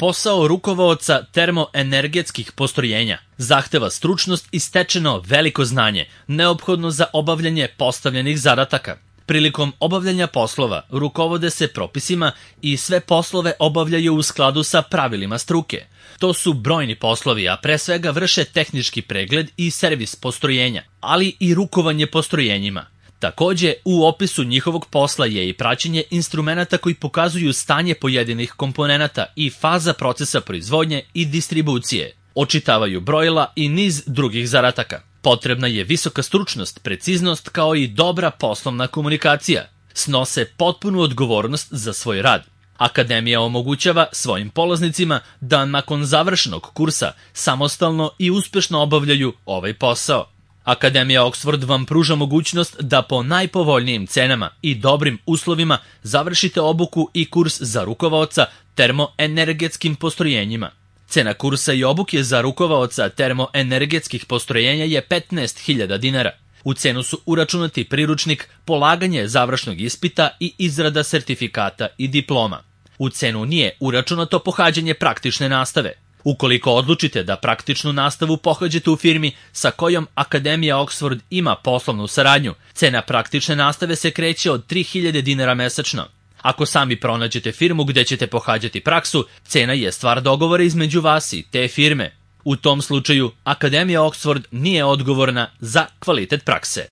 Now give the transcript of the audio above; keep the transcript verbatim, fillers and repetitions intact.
Posao rukovaoca termoenergetskih postrojenja zahteva stručnost i stečeno veliko znanje, neophodno za obavljanje postavljenih zadataka. Prilikom obavljanja poslova rukovode se propisima i sve poslove obavljaju u skladu sa pravilima struke. To su brojni poslovi, a pre svega vrše tehnički pregled i servis postrojenja, ali i rukovanje postrojenjima. Takođe, u opisu njihovog posla je i praćenje instrumenata koji pokazuju stanje pojedinih komponenata i faza procesa proizvodnje i distribucije. Očitavaju brojila i niz drugih zadataka. Potrebna je visoka stručnost, preciznost kao i dobra poslovna komunikacija. Snose potpunu odgovornost za svoj rad. Akademija omogućava svojim polaznicima da nakon završenog kursa samostalno i uspešno obavljaju ovaj posao. Akademija Oxford vam pruža mogućnost da po najpovoljnijim cenama i dobrim uslovima završite obuku i kurs za rukovaoca termoenergetskim postrojenjima. Cena kursa i obuke za rukovaoca termoenergetskih postrojenja je petnaest hiljada dinara. U cenu su uračunati priručnik, polaganje završnog ispita i izrada sertifikata i diploma. U cenu nije uračunato pohađanje praktične nastave. Ukoliko odlučite da praktičnu nastavu pohađate u firmi sa kojom Akademija Oxford ima poslovnu saradnju, cena praktične nastave se kreće od tri hiljade dinara mesečno. Ako sami pronađete firmu gde ćete pohađati praksu, cena je stvar dogovora između vas i te firme. U tom slučaju, Akademija Oxford nije odgovorna za kvalitet prakse.